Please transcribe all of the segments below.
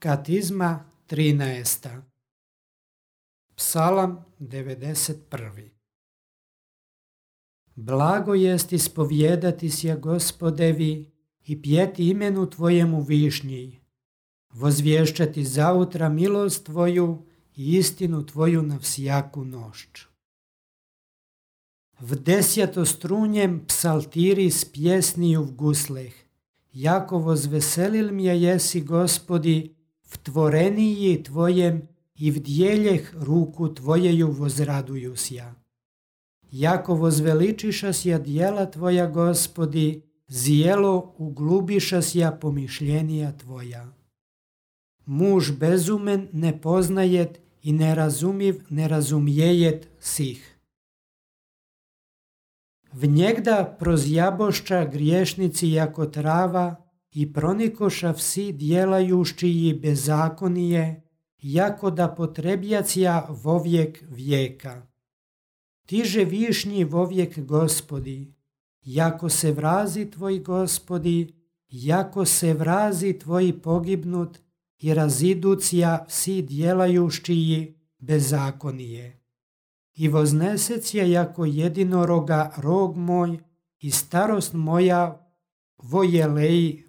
Katizma 13. Psalam 91. Blago jest ispovijedati sja Gospodevi i pjeti imenu Tvojemu višnji, vozvješćati zautra milost Tvoju i istinu Tvoju na vsjaku nošć. V desjatostrunjem psaltiri s pjesniju v gusleh, jako vozveselil mje jesi Gospodi, v tvoreniji Tvojem i v djeljeh ruku Tvojeju vozraduju sja. Jako vozveličiša sja djela Tvoja Gospodi, zijelo uglubiša sja pomišljenija Tvoja. Muž bezumen ne poznajet i nerazumiv ne razumjejet sih. V njegda prozjabošća griješnici jako trava i pronikoša vsi djelajušći bezakonije, jako da potrebjacija vovijek vijeka. Tiže višnji vovijek Gospodi, jako se vrazi Tvoj Gospodi, jako se vrazi Tvoj pogibnut i raziducija vsi djelajušći bezakonije. I voznesecija jako jedinoroga rog moj i starost moja vojeleji.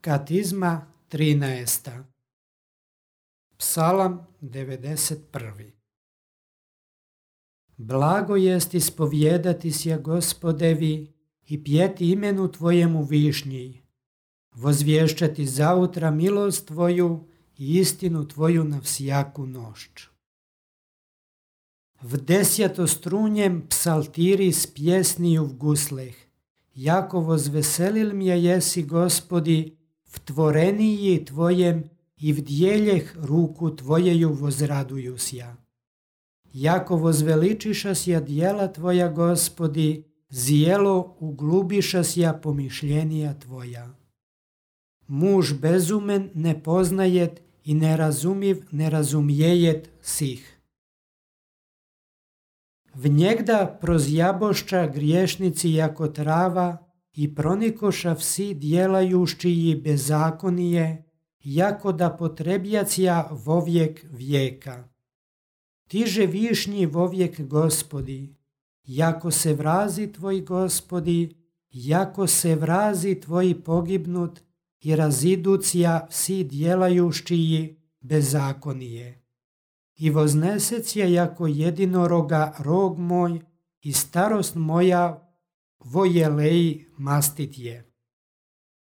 Katizma 13. Psalam 91. Blago jest ispovijedati sja Gospodevi i pjeti imenu Tvojemu višnji, vozvješćati zautra milost Tvoju i istinu Tvoju na vsjaku nošć. V desjatostrunjem psaltiri s pjesniju v gusleh, jako vozveselil mje jesi Gospodi, v tvoreniji Tvojem i v djeljeh ruku Tvojeju vozraduju sja. Jako vozveličiša sja djela Tvoja Gospodi, zijelo uglubiša sja pomišljenija Tvoja. Muž bezumen ne poznajet i nerazumiv ne razumjejet sih. V njegda prozjabošća griješnici jako trava i pronikoša vsi djelajušći bezakonije, jako da potrebjacija vovijek vijeka. Tiže višnji vovijek Gospodi, jako se vrazi Tvoj Gospodi, jako se vrazi Tvoj pogibnut i raziducija vsi djelajušći bezakonije. I voznesecija jako jedinoroga rog moj i starost moja vojeleji mastit je.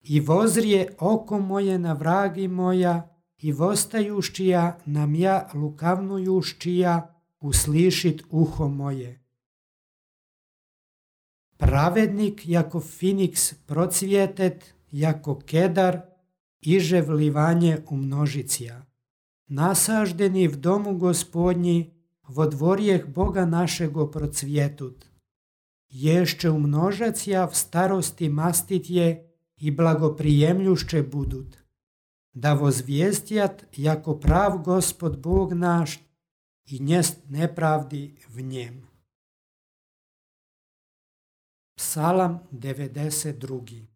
I vozrije oko moje na vragi moja i vostajušćija na mja lukavnujušćija uslišit uho moje. Pravednik jako finiks procvjetet, jako kedar, iže vlivanje u množicija. Nasaždeni v domu Gospodnji, vo dvorjeh Boga našego procvjetut. Ješće umnožacija v starosti mastit je i blagoprijemljušće budut. Da vozvijestjat jako prav Gospod Bog naš i njest nepravdi v njem. Psalam 92.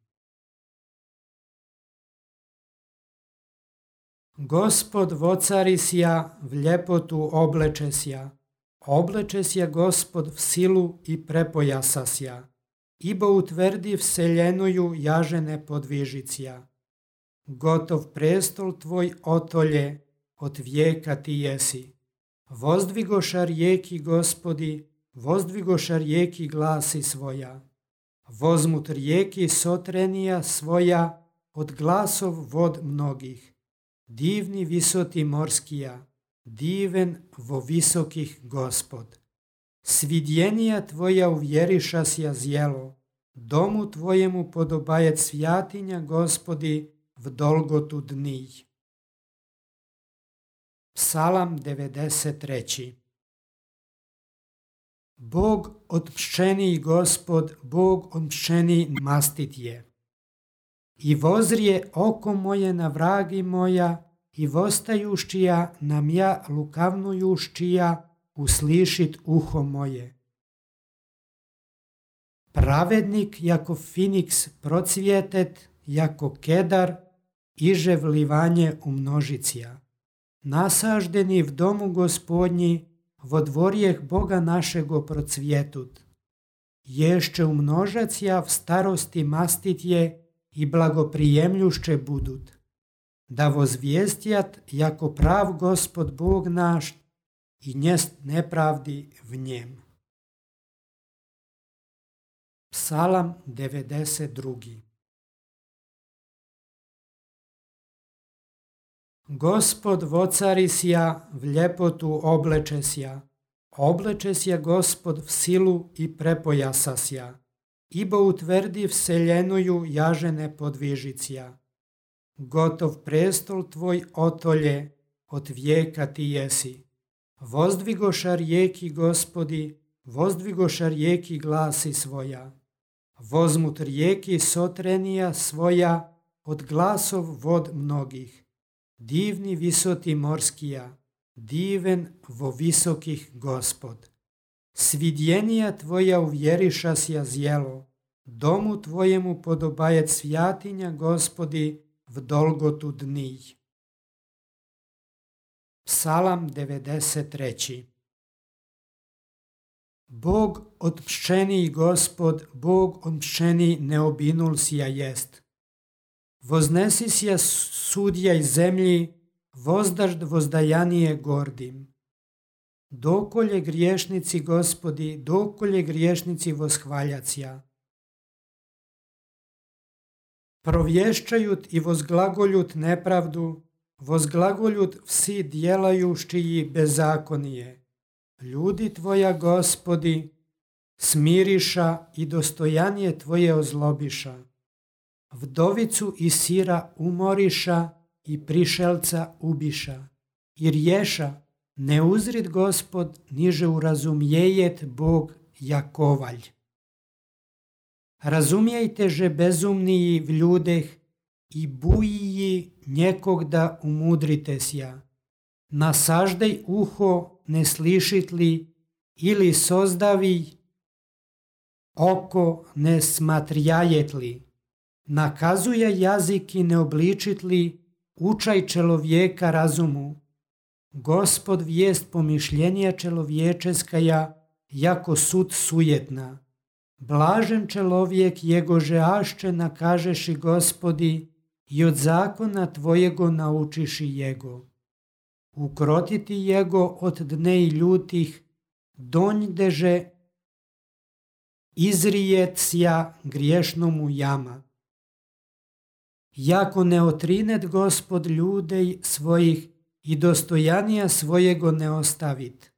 Gospod vocari sja v ljepotu obleče sja Gospod v silu i prepojasa sja, ibo utvrdi vseljenuju jažene podvižicija. Gotov prestol Tvoj otolje, od vijeka Ti jesi. Vozdvigoša rijeki Gospodi, vozdvigoša rijeki glasi svoja. Vozmut rijeki sotrenija svoja, od glasov vod mnogih. Divni visoti morskija, diven vo visokih Gospod. Svidjenija Tvoja uvjeriša sja zjelo, domu Tvojemu podobajet svjatinja Gospodi v dolgotu dnij. Psalam 93. Bog od pščeni Gospod, Bog od pščeni mastit je. I vozrije oko moje na vragi moja, i vostajuščija nam ja lukavnujuščija uslišit uho moje. Pravednik jako Finiks procvjetet, jako kedar, iže vlivanje u množicija. Nasaždeni v domu Gospodnji, vo dvorjeh Boga našego procvjetut. Ješće umnožacija v starosti mastitje i blagoprijemljušće budut. Da vozvijestjat jako prav Gospod Bog naš i njest nepravdi v njem. Psalam 92. Gospod vocarisja v ljepotu oblečesja Gospod v silu i prepojasasja, ibo utvrdi vseljenuju jažene podvižicija. Gotov prestol tvoj otolje, od vijeka ti jesi. Vozdvigoša rijeki Gospodi, vozdvigoša rijeki glasi svoja. Vozmut rijeki sotrenija svoja, od glasov vod mnogih. Divni visoti morskija, diven vo visokih Gospod. Svidjenija tvoja uvjerišasja zjelo, domu tvojemu podobajet svjatinja Gospodi v dolgotu dnij. Psalam 93. Bog otpščeniji Gospod, Bog otpščeniji neobinulsija jest. Voznesisja sudjaj zemlji, vozdažd vozdajanije gordim. Dokolje griješnici Gospodi, dokolje griješnici voshvaljacija. Provješćajut i vozglagoljut nepravdu, vozglagoljut vsi djelajuščiji bezakonije. Ljudi tvoja Gospodi, smiriša i dostojanije tvoje ozlobiša. Vdovicu i sira umoriša i prišelca ubiša. I rješa, ne uzrid Gospod, niže urazumjejet Bog Jakovalj. Razumijejte že bezumniji v ljudeh i bujiji njekog da umudrite sja. Nasaždej uho, ne slišit li, ili sozdavij oko, ne smatrjajet li. Nakazuje jazik i ne obličit li, učaj čelovjeka razumu. Gospod vijest pomišljenja čelovječeskaja, jako sud sujetna. Blažen čelovjek jegože ašće nakažeši Gospodi i od zakona tvojego naučiši jego. Ukrotiti jego od dnej ljutih, donjdeže izrijet sja griješnomu jama. Jako ne otrinet Gospod ljudej svojih i dostojanija svojego ne ostavit.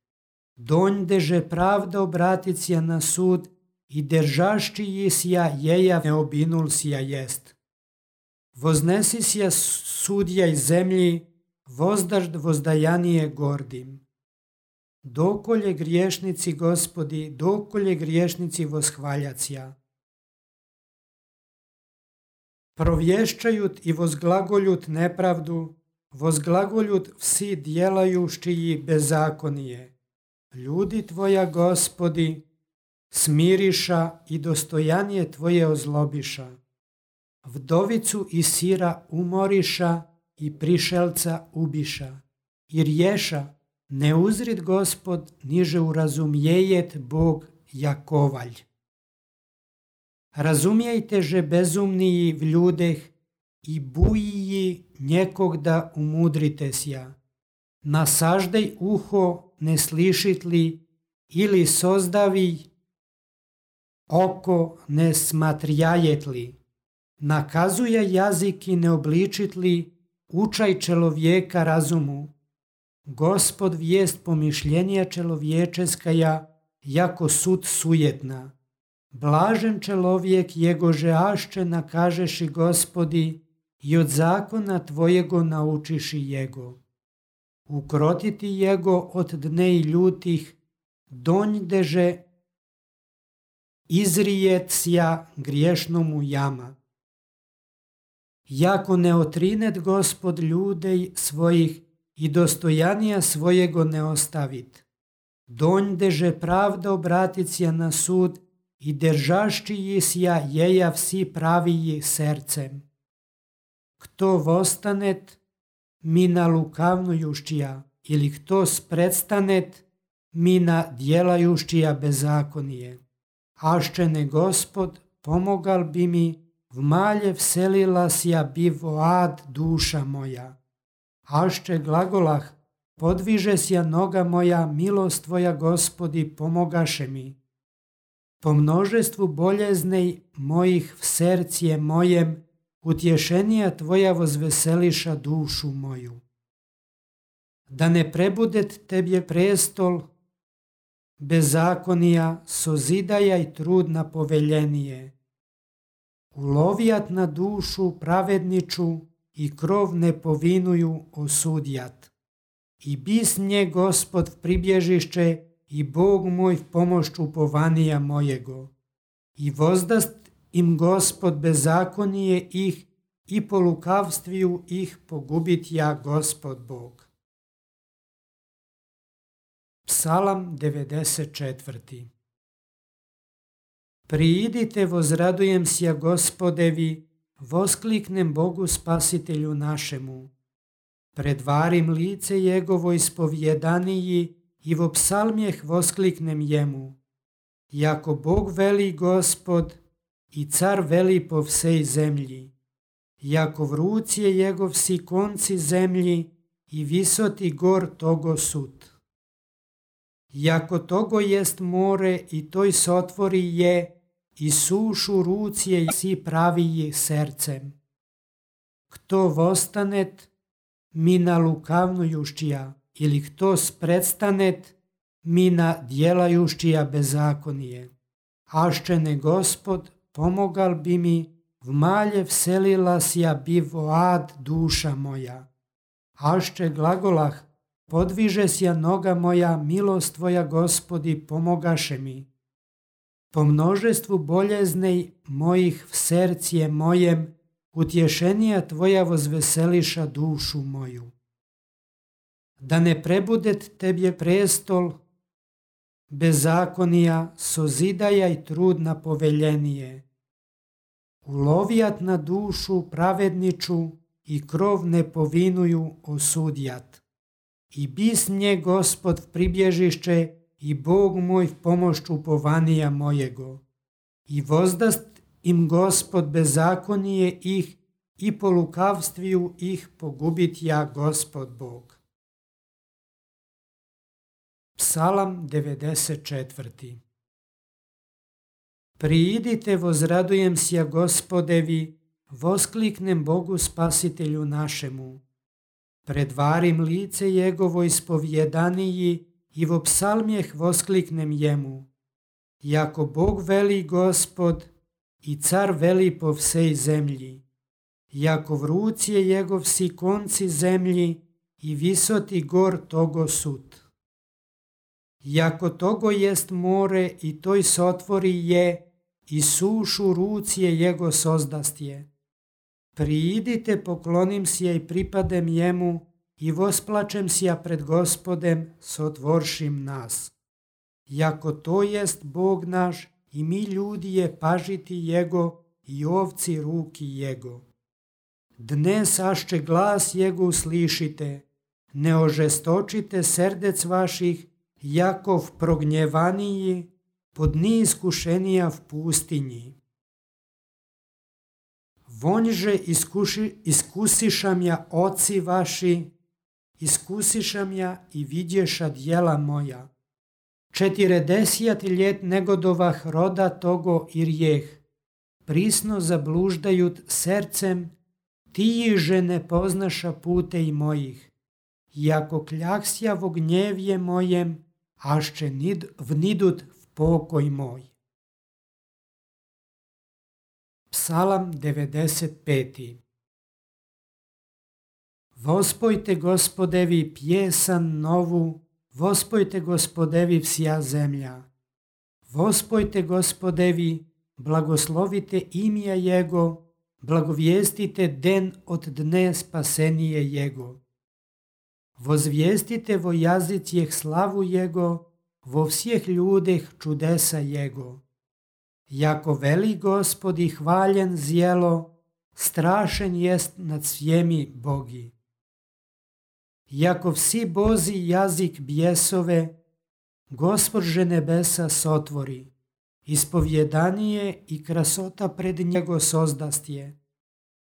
Donjdeže pravda obratit sja na sud i držaščiji sja jeja neobinul sja jest. Voznesi sja sudjaj zemlji, vozdažd vozdajanije gordim. Dokolje griješnici Gospodi, dokolje griješnici voshvaljacija. Provješćajut i vozglagoljut nepravdu, vozglagoljut vsi djelajuščiji bezakonije. Ljudi tvoja Gospodi, smiriša i dostojanije tvoje ozlobiša. Vdovicu i sira umoriša i prišelca ubiša. I rješa, ne uzrid Gospod, niže urazumjejet Bog Jakovalj. Razumijejte že bezumniji v ljudeh i bujiji njekog da umudrite sja. Nasaždej uho, ne slišit li, ili sozdavij oko, ne smatrjajet li. Nakazuje jazik i ne obličit li, učaj čelovjeka razumu. Gospod vijest pomišljenja čelovječeskaja, jako sud sujetna. Blažen čelovjek jegože ašće nakažeši Gospodi i od zakona tvojego naučiši jego. Ukrotiti jego od dnej ljutih, donjdeže izrijet sja griješnomu jama. jako ne otrinet Gospod ljudej svojih i dostojanija svojego ne ostavit. Donjdeže pravda obraticija na sud i držaščiji sja jeja vsi praviji sercem. Kto vostanet, mina lukavnujuščija, ili kto spredstanet, mina djelajuščija bezakonije. Aščene Gospod, pomogal bi mi, v malje vselila sja bi voad duša moja. Ašče glagolah, podviže sja noga moja, milost tvoja Gospodi, pomogaše mi. Po množestvu boljeznej mojih v sercije mojem, utješenija tvoja vozveseliša dušu moju. Da ne prebudet tebje prestol, bezakonija, sozidaja i trudna poveljenije. Ulovijat na dušu pravedniču i krov ne povinuju osudjat. I bis nje Gospod v pribježišće i Bog moj v pomoć upovanija mojego. I vozdast im Gospod bezakonije ih i po lukavstviju ih pogubit ja Gospod Bog. Psalam 94. Priidite, vozradujem sja Gospodevi, voskliknem Bogu spasitelju našemu. Predvarim lice Jegovo ispovjedaniji i vo psalmjeh voskliknem jemu. Jako Bog veli Gospod i car veli po vsej zemlji. Jako v ruci je Jegov si konci zemlji i visoti gor togo sud. Jako togo jest more i toj sotvori je i sušu ruci je si praviji sercem. Kto vostanet, mina lukavnujuščija, ili kto spredstanet, mina djelajuščija bezakonije. Aščene Gospod, pomogal bi mi, v malje vselila sja bi voad duša moja. Ašče glagolah, podviže sja noga moja, milost tvoja Gospodi, pomogaše mi. Po množestvu boljeznej mojih v sercije mojem, utješenija tvoja vozveseliša dušu moju. Da ne prebudet tebje prestol, bezakonija, sozidaja i trudna poveljenije. Ulovijat na dušu pravedniču i krov ne povinuju osudjat. I bis nje Gospod v pribježišće i Bog moj v pomoć upovanija mojego. I vozdast im Gospod bezakonije ih i po lukavstviju ih pogubit ja Gospod Bog. Psalam 94. Priidite, vozradujem sja Gospodevi, voskliknem Bogu spasitelju našemu. Predvarim lice Jegovo ispovjedaniji i vo psalmjeh voskliknem jemu. Jako Bog veli Gospod i car veli po vsej zemlji. Jako v ruci je Jegov si konci zemlji i visoti gor togo sud. Jako togo jest more i toj sotvori je i sušu ruci je Jego sozdastje. Priidite, poklonim sja i pripadem jemu i vosplačem sja pred Gospodem, sotvoršim nas. Jako to jest Bog naš i mi ljudi je pažiti Jego i ovci ruki Jego. Dnes ašče glas Jego uslišite, ne ožestočite srdec vaših, jako v prognjevaniji, pod dni iskušenija v pustinji. Vonjže iskusišam ja oci vaši, iskusišam ja i vidješa djela moja. 40 ljet negodovah roda togo i rijeh, prisno zabluždajut sercem, tijiže ne poznaša putej mojih. Jako kljaksja vo gnjevje mojem, ašče vnidut v pokoj moj. Psalam 95. Vospojte Gospodevi pjesan novu, vospojte Gospodevi vsja zemlja. Vospojte Gospodevi, blagoslovite imja Jego blagovijestite den od dne spasenije Jego. Vozvijestite vo jazicijeh slavu Jego, vo vseh ljudeh čudesa Jego. Jako veli Gospod i hvaljen zjelo, strašen jest nad svjemi bogi. Jako vsi bozi jazik bjesove, Gospodže nebesa sotvori, ispovjedanije i krasota pred njego sozdastje.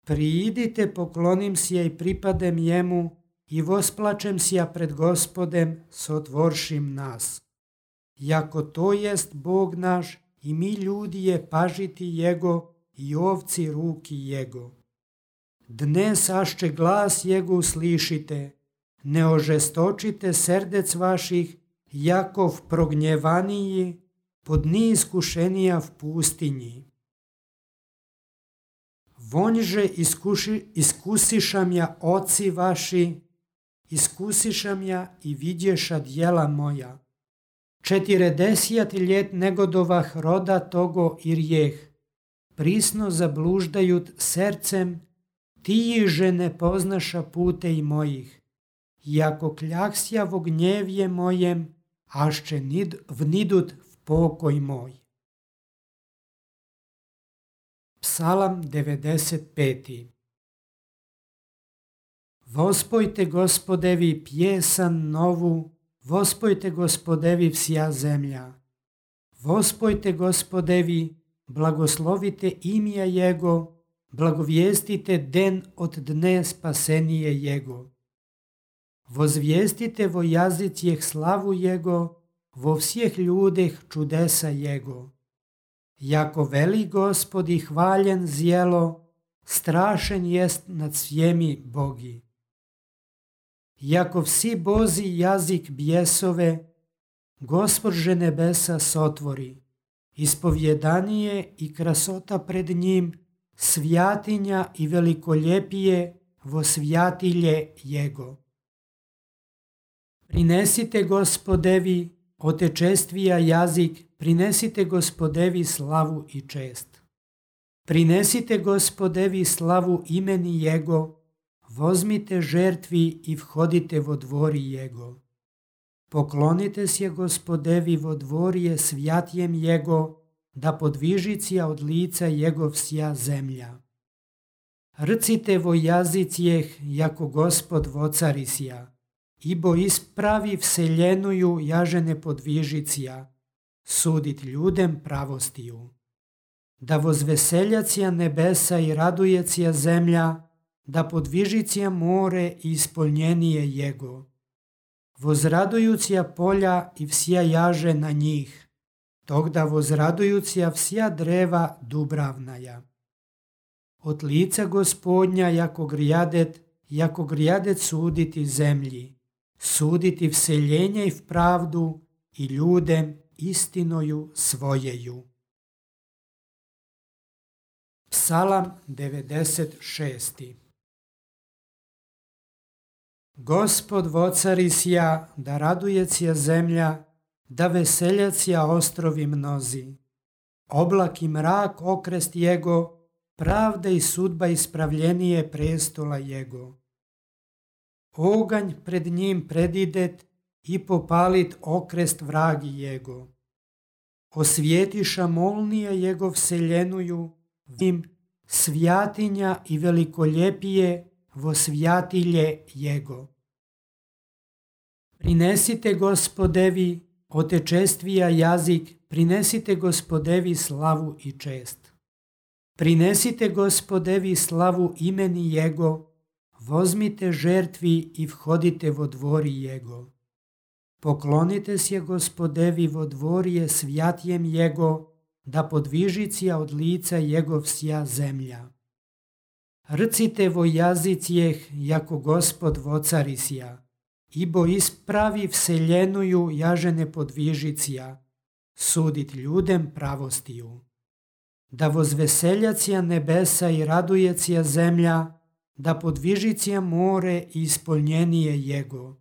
Priidite, poklonim sje i pripadem jemu i vosplačem sja pred Gospodem, sotvoršim nas. Jako to jest Bog naš i mi ljudi je pažiti Jego i ovci ruki Jego. Dnes ašće glas Jego uslišite, ne ožestočite srdec vaših, Jakov prognjevaniji, pod dni iskušenija v pustinji. Vonjže iskusišam ja oci vaši, iskusišam ja i vidješa djela moja. 40 ljet negodovah roda togo i rijeh, prisno zabluždajut srcem, ti že ne poznaša pute i mojih. Jako kljaksja vo gnjevje mojem, ašće vnidut v pokoj moj. Psalam 95. Vospojte Gospodevi pjesan novu, vospojte Gospodevi vsja zemlja. Vospojte Gospodevi, blagoslovite imja Jego, blagovijestite den od dne spasenije Jego. Vozvijestite vo jazicijeh slavu Jego, vo vseh ljudeh čudesa Jego. Jako veli Gospod i hvaljen zjelo, strašen jest nad svjemi bogi. Jako vsi bozi jazik bjesove, Gospodže nebesa sotvori, ispovjedanije i krasota pred njim, svjatinja i velikoljepije vo svjatilje Jego. Prinesite Gospodevi, otečestvija jazik, prinesite Gospodevi slavu i čest. Prinesite Gospodevi slavu imeni Jego, vozmite žertvi i vhodite vo dvori Jego. Poklonite se Gospodevi vo dvorje svjatjem Jego, da podvižicija od lica Jego vsja zemlja. Rcite vo jazicijeh, jako Gospod vocarisja, ibo ispravi vseljenuju jažene podvižicija, sudit ljudem pravostiju. Da vozveseljacija nebesa i radujecija zemlja, da podvižicija more i ispolnjenije Jego. Vozradujucija polja i vsja jaže na njih, tog da vozradujucija vsja dreva dubravnaja. Od lica Gospodnja jako grijadet suditi zemlji, suditi vseljenje i v pravdu i ljudem istinoju svojeju. Psalam 96. Gospod vocarisja, da radujecija zemlja, da veseljacija ostrovi mnozi. Oblak i mrak okrest Jego, pravda i sudba ispravljenije prestola Jego. Oganj pred njim predidet i popalit okrest vragi Jego. Osvjetiša molnija Jego vseljenuju, vim svjatinja i velikoljepije vo svjatilje Jego. Prinesite Gospodevi, otečestvija jazik, prinesite Gospodevi slavu i čest. Prinesite Gospodevi slavu imeni Jego, vozmite žertvi i vhodite vo dvori Jego. Poklonite se Gospodevi vo dvorje svjatjem Jego, da podvižicija od lica Jego vsja zemlja. Rcite vo jazicijeh, jako Gospod vocarisja, ibo ispravi vseljenuju jažene podvižicija, sudit ljudem pravostiju. Da vozveseljacija nebesa i radujecija zemlja, da podvižicija more i ispolnjenije Jego.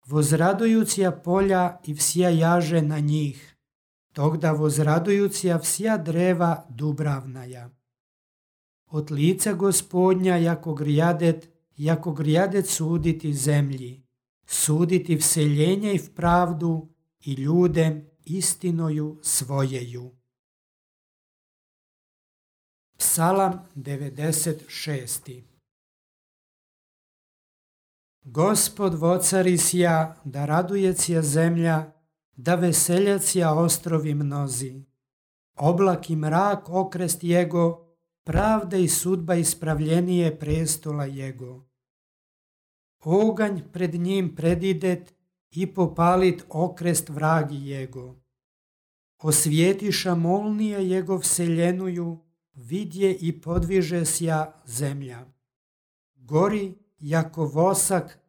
Vozradujucija polja i vsja jaže na njih, tog da vozradujucija vsja dreva dubravnaja. od lica Gospodnja, jako grijadet suditi zemlji, suditi vseljenje i v pravdu i ljudem istinoju svojeju. Psalam 96. Gospod vocarisja, da radujecija zemlja, da veseljacija ostrovi mnozi. Oblak i mrak okrest jego, pravda i sudba ispravljenije prestola jego. Oganj pred njim predidet i popalit okrest vragi jego. Osvjetiša molnije jego vseljenuju, vidje i podviže sja zemlja. Gori jako vosak,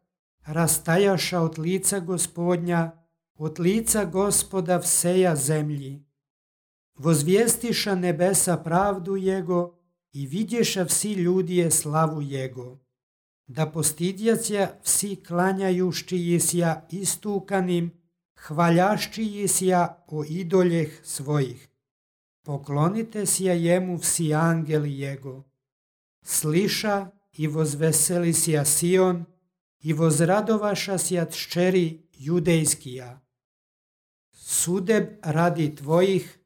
rastajaša od lica Gospodnja, od lica Gospoda vseja zemlji. Vozvijestiša nebesa pravdu jego i vidješa vsi ljudje slavu jego. Da postidjacija vsi klanjajušći sja istukanim, hvaljašći sja o idoljeh svojih. Poklonite sja jemu vsi angeli jego. Sliša i vozveseli sja Sion i vozradovaša sja tščeri judejskija. Sudeb radi tvojih,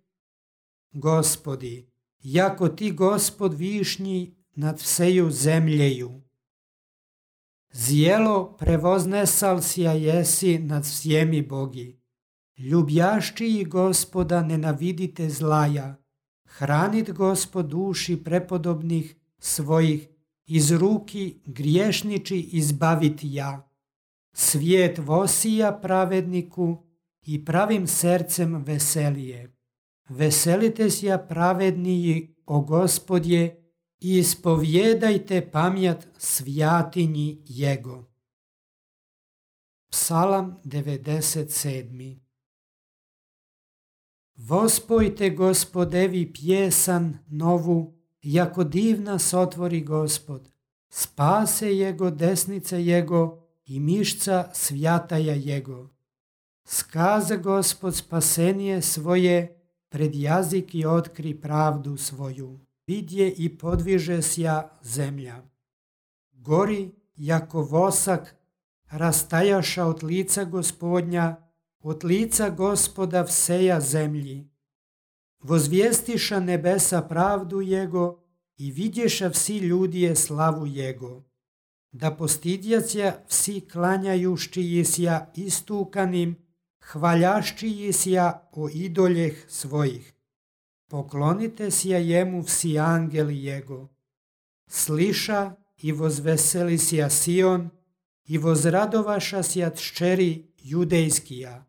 Gospodi, jako ti Gospod višnji nad vseju zemljeju. Zjelo prevoznesal sja jesi nad svjemi bogi. Ljubjaščiji Gospoda nenavidite zlaja. Hranit Gospod duši prepodobnih svojih, iz ruki griješniči izbavit ja. Svijet vosija pravedniku i pravim srcem veselije. Veselite sja pravedniji, o Gospodje, i ispovjedajte pamjat svjatinji jego. Psalam 97. Vospojte Gospodevi pjesan novu, jako divna sotvori Gospod. Spase jego desnice jego i mišca svjataja jego. Skaza Gospod spasenije svoje, pred jazik i otkri pravdu svoju. Vidje i podviže sja zemlja. Gori jako vosak, rastajaša od lica Gospodnja, od lica Gospoda vseja zemlji. Vozvijestiša nebesa pravdu jego i vidješa vsi ljudje slavu jego. Da postidjacija vsi klanjajušći sja istukanim, hvaljašći sja o idoljeh svojih. Poklonite sja jemu vsi angeli jego. Sliša i vozveseli sja Sion i vozradovaša sja tščeri judejskija.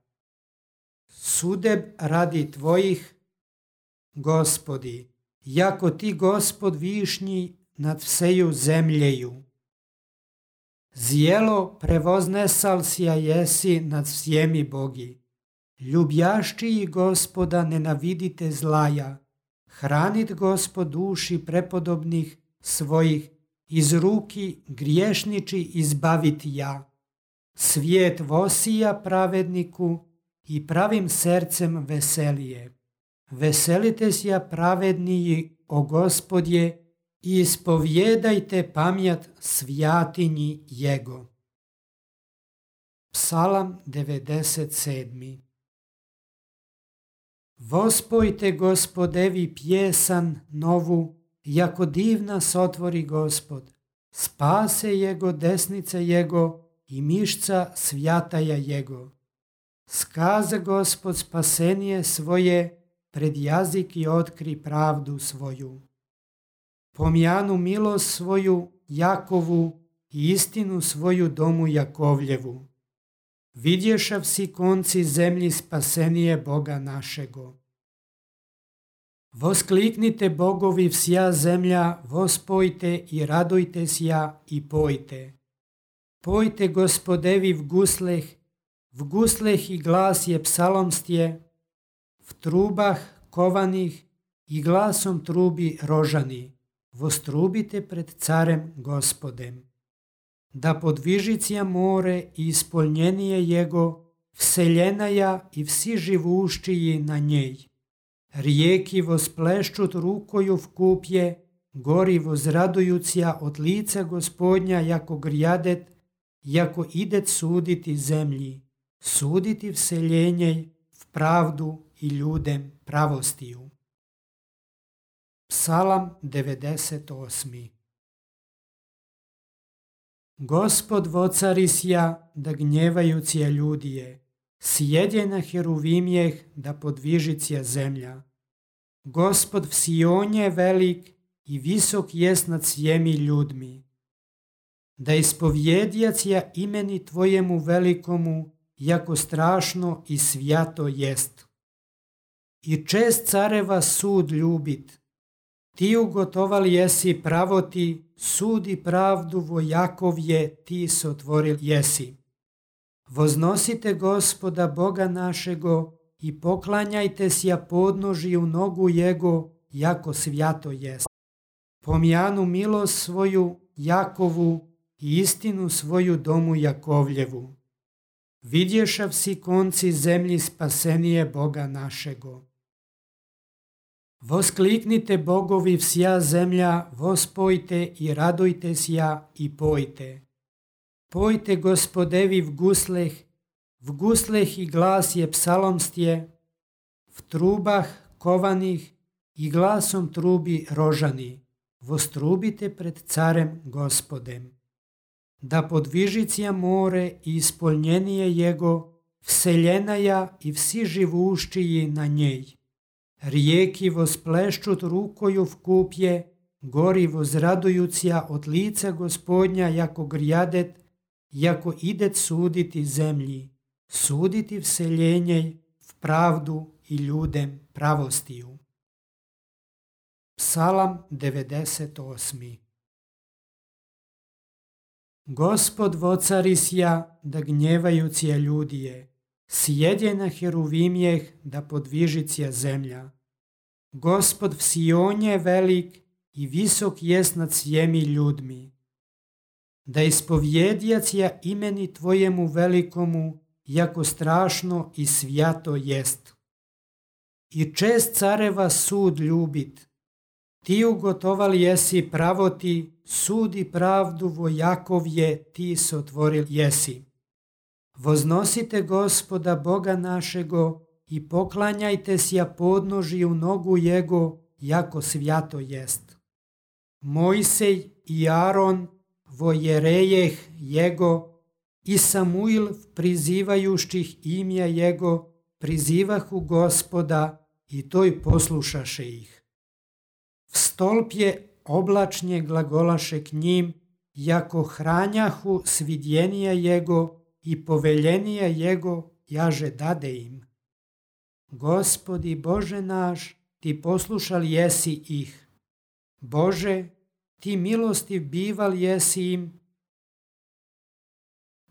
Sudeb radi tvojih, Gospodi, jako ti Gospod višnji nad vseju zemljeju. Zjelo prevoznesal sja jesi nad svjemi bogi. Ljubjaščiji Gospoda nenavidite zlaja. Hranit Gospod duši prepodobnih svojih, iz ruki griješniči izbavit ja. Svijet vosija pravedniku i pravim srcem veselije. Veselite sja pravedniji, o Gospodje, i ispovjedajte pamjat svjatinji jego. Psalam 97. Vospojte Gospodevi pjesan novu, jako divna sotvori Gospod. Spase jego desnice jego i mišca svjataja jego. Skaza Gospod spasenije svoje, pred jazik i otkri pravdu svoju. Pomjanu milost svoju Jakovu i istinu svoju domu Jakovljevu. Vidješa vsi konci zemlji spasenije Boga našego. Voskliknite bogovi vsja zemlja, vospojte i radujte sja i pojte. Pojte Gospodevi v gusleh i glas je psalomstje, v trubah kovanih i glasom trubi rožani. Vostrubite pred carem Gospodem. Da podvižicija more i ispolnjenije jego, vseljenaja i vsi živuščiji na njej. Rijeki vospleščut rukoju v kupje gori возрадуються od lica Gospodnja, jako grjadet, jako idet suditi zemlji, suditi vseljenje v pravdu i ljudem pravostiju. Psalam 98. Gospod vocarisja, da gnjevajucija ljudije, sjedje na heruvimjeh, da podvižicija zemlja. Gospod v Sionje velik i visok jest nad svjemi ljudmi. Da ispovjedjacija imeni tvojemu velikomu, jako strašno i svjato jest. I čest careva sud ljubit. Ti ugotovali jesi pravoti, sud i pravdu vojakovje ti sotvoril jesi. Voznosite Gospoda Boga našego i poklanjajte sja podnožiju nogu Jego, jako svjato jest. Pomjanu milost svoju Jakovu i istinu svoju domu Jakovljevu. Vidješav si konci zemlji spasenije Boga našego. Voskliknite bogovi vsja zemlja, vospojte i radujte sja i pojte. Pojte Gospodevi v gusleh i glas je psalomstje, v trubah kovanih i glasom trubi rožani, vostrubite pred carem Gospodem. Da podvižicija more i ispolnjenije Jego, vseljenaja i vsi živuščiji na njej. Rijeki vospleščut rukoju v kupje, gori vozradujucija od lica Gospodnja, jako grjadet, jako idet suditi zemlji, suditi vseljenje v pravdu i ljudem pravostiju. Psalam 98. Gospod vocarisja, da gnjevajucija ljudije, sjedje na heruvimjeh, da podvižicija zemlja. Gospod v Sionje velik i visok jest nad svjemi ljudmi. Da ispovjedjacija imeni tvojemu velikomu, jako strašno i svjato jest. I čest careva sud ljubit. Ti ugotovali jesi pravoti, sud i pravdu vojakovje ti sotvoril jesi. Voznosite Gospoda Boga našego i poklanjajte sja podnožiju nogu Jego, jako svjato jest. Mojsej i Aron, vojerejeh Jego, i Samuil prizivajuštih imja Jego, prizivahu Gospoda i toj poslušaše ih. V stolpje oblačnje glagolaše k njim, jako hranjahu svidjenija Jego i poveljenija Jego jaže dade im. Gospodi Bože naš, ti poslušal jesi ih. Bože, ti milostiv bival jesi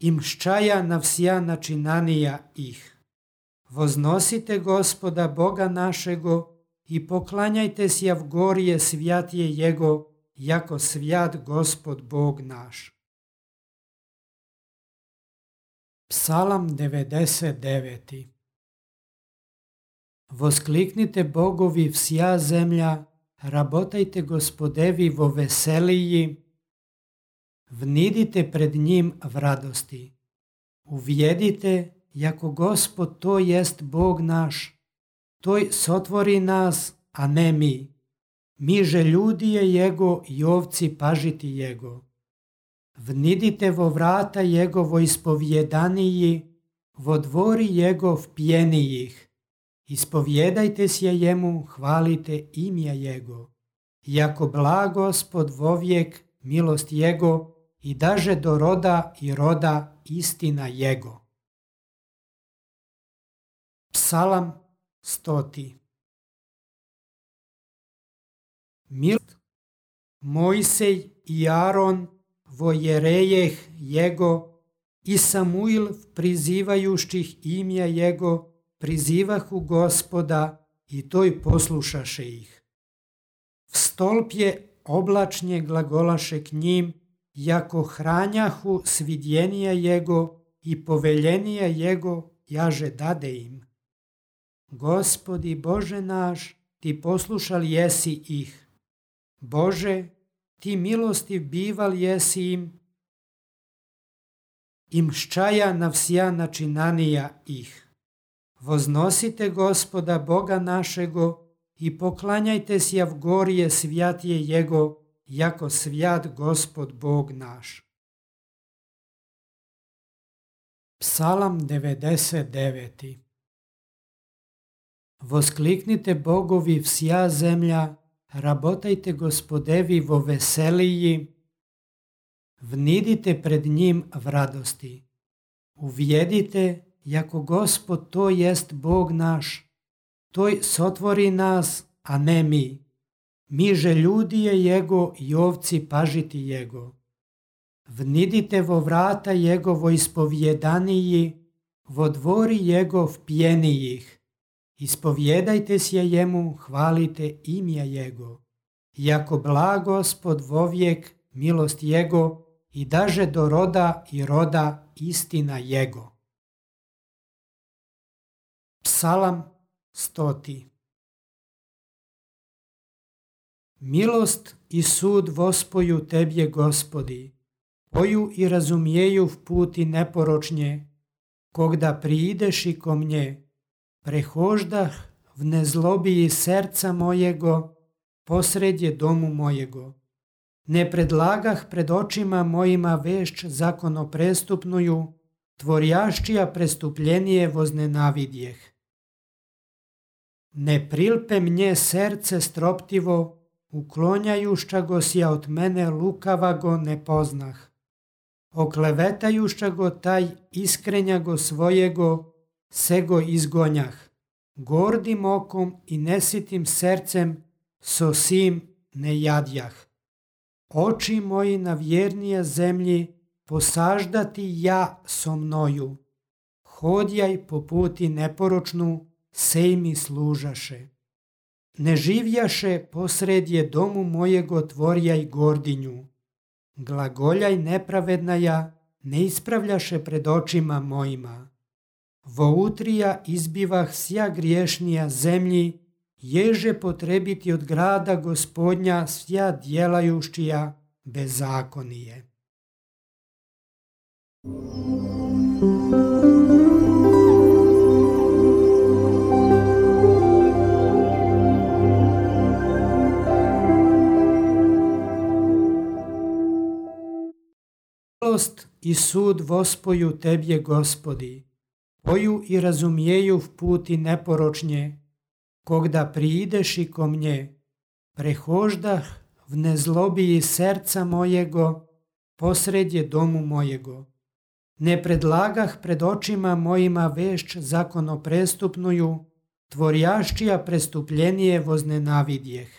im ščaja na vsja načinanija ih. Voznosite Gospoda Boga našego i poklanjajte sja v gorje svjatje Jego, jako svjat Gospod Bog naš. Psalam 99. Voskliknite bogovi vsja zemlja, rabotajte Gospodevi vo veseliji, vnidite pred njim v radosti. Uvjedite, jako Gospod to jest Bog naš, toj sotvori nas, a ne mi. Mi že ljudije Jego i ovci pažiti Jego. Vnidite vo vrata Jegovo ispovjedaniji, vo dvori Jegov pjenijih. Ispovjedajte se Jemu, hvalite imja Jego. Jako blag Gospod vovijek, milost Jego, i daže do roda i roda istina Jego. Psalam 100. Milost Mojsej i Aron, vojerejeh Jego, i Samuil prizivajuštih imja Jego, prizivahu Gospoda i toj poslušaše ih. V stolpje oblačnje glagolaše k njim, jako hranjahu svidjenija Jego i poveljenija Jego jaže dade im. Gospodi Bože naš, ti poslušal jesi ih. Bože, ti milostiv bival jesi im ščaja na vsja načinanija ih. Возnosite Gospoda Boga našego i poklanjajte sja v gorje svjatije Jego, jako svjat Gospod Bog naš. Psalam 99. Voskliknite Bogovi vsja zemlja, rabotajte Gospodevi vo veseliji, vnidite pred njim v radosti. Uvjedite, jako Gospod to jest Bog naš, toj sotvori nas, a ne mi. Mi že ljudije Jego i ovci pažiti Jego. Vnidite vo vrata Jegovo ispovjedaniji, vo dvori Jegov pjenijih. Ispovjedajte se Jemu, hvalite imja Jego. Jako blag Gospod vovijek, milost Jego, i daže do roda i roda istina Jego. Psalam 100. Milost i sud vospoju Tebje, Gospodi, poju i razumijeju v puti neporočnje, kogda priideši ko mnje, prehoždah v nezlobiji serca mojego, posredje domu mojego. Ne predlagah pred očima mojima vešć zakonoprestupnuju, tvorjaščija prestupljenije voznenavidjeh. Ne prilpe mnje serce stroptivo, uklonjajušća go sja od mene lukava go ne poznah. Oklevetajušća go taj iskrenja go svojego, sego izgonjah. Gordim okom i nesitim sercem, so sim ne jadjah. Oči moji na vjernije zemlji, posaždati ja so mnoju. Hodjaj po puti neporočnu, sej mi služaše. Ne živjaše posredje domu mojego tvorjaj gordinju. Glagoljaj nepravednaja, ne ispravljaše pred očima mojima. Vo utrija izbivah sja griješnija zemlji, ježe potrebiti od grada Gospodnja sja djelajušćija bezakonije. Milost i sud vospoju Tebje, Gospodi, poju i razumijeju v puti neporočnje, kogda priideši ko mnje, prehoždah v nezlobiji serca mojego, posredje domu mojego. Ne predlagah pred očima mojima vešć zakonoprestupnuju, tvorjaščija prestupljenije voznenavidjeh.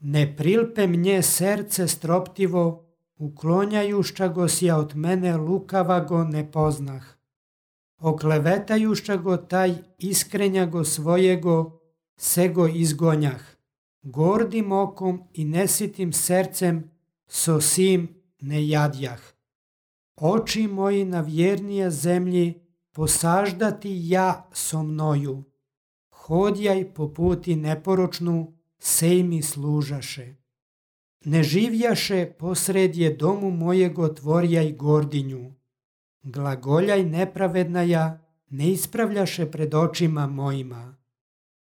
Ne prilpe mnje serce stroptivo, uklonjajušća go sja od mene lukava go ne poznah. Oklevetajušća go taj iskrenja go svojego, sego izgonjah. Gordim okom i nesitim sercem, so sim ne jadjah. Oči moji na vjernije zemlji, posaždati ja so mnoju. Hodjaj po puti neporočnu, sej mi služaše. Ne živjaše posredje domu mojego tvorjaj gordinju. Glagoljaj nepravednaja, ne ispravljaše pred očima mojima.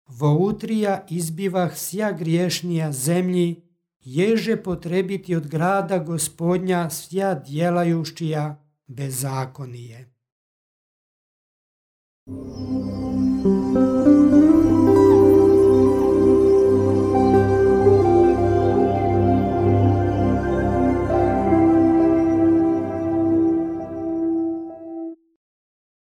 Vo utrija izbivah sja griješnija zemlji, ježe potrebiti od grada Gospodnja sja djelajušćija bezakonije.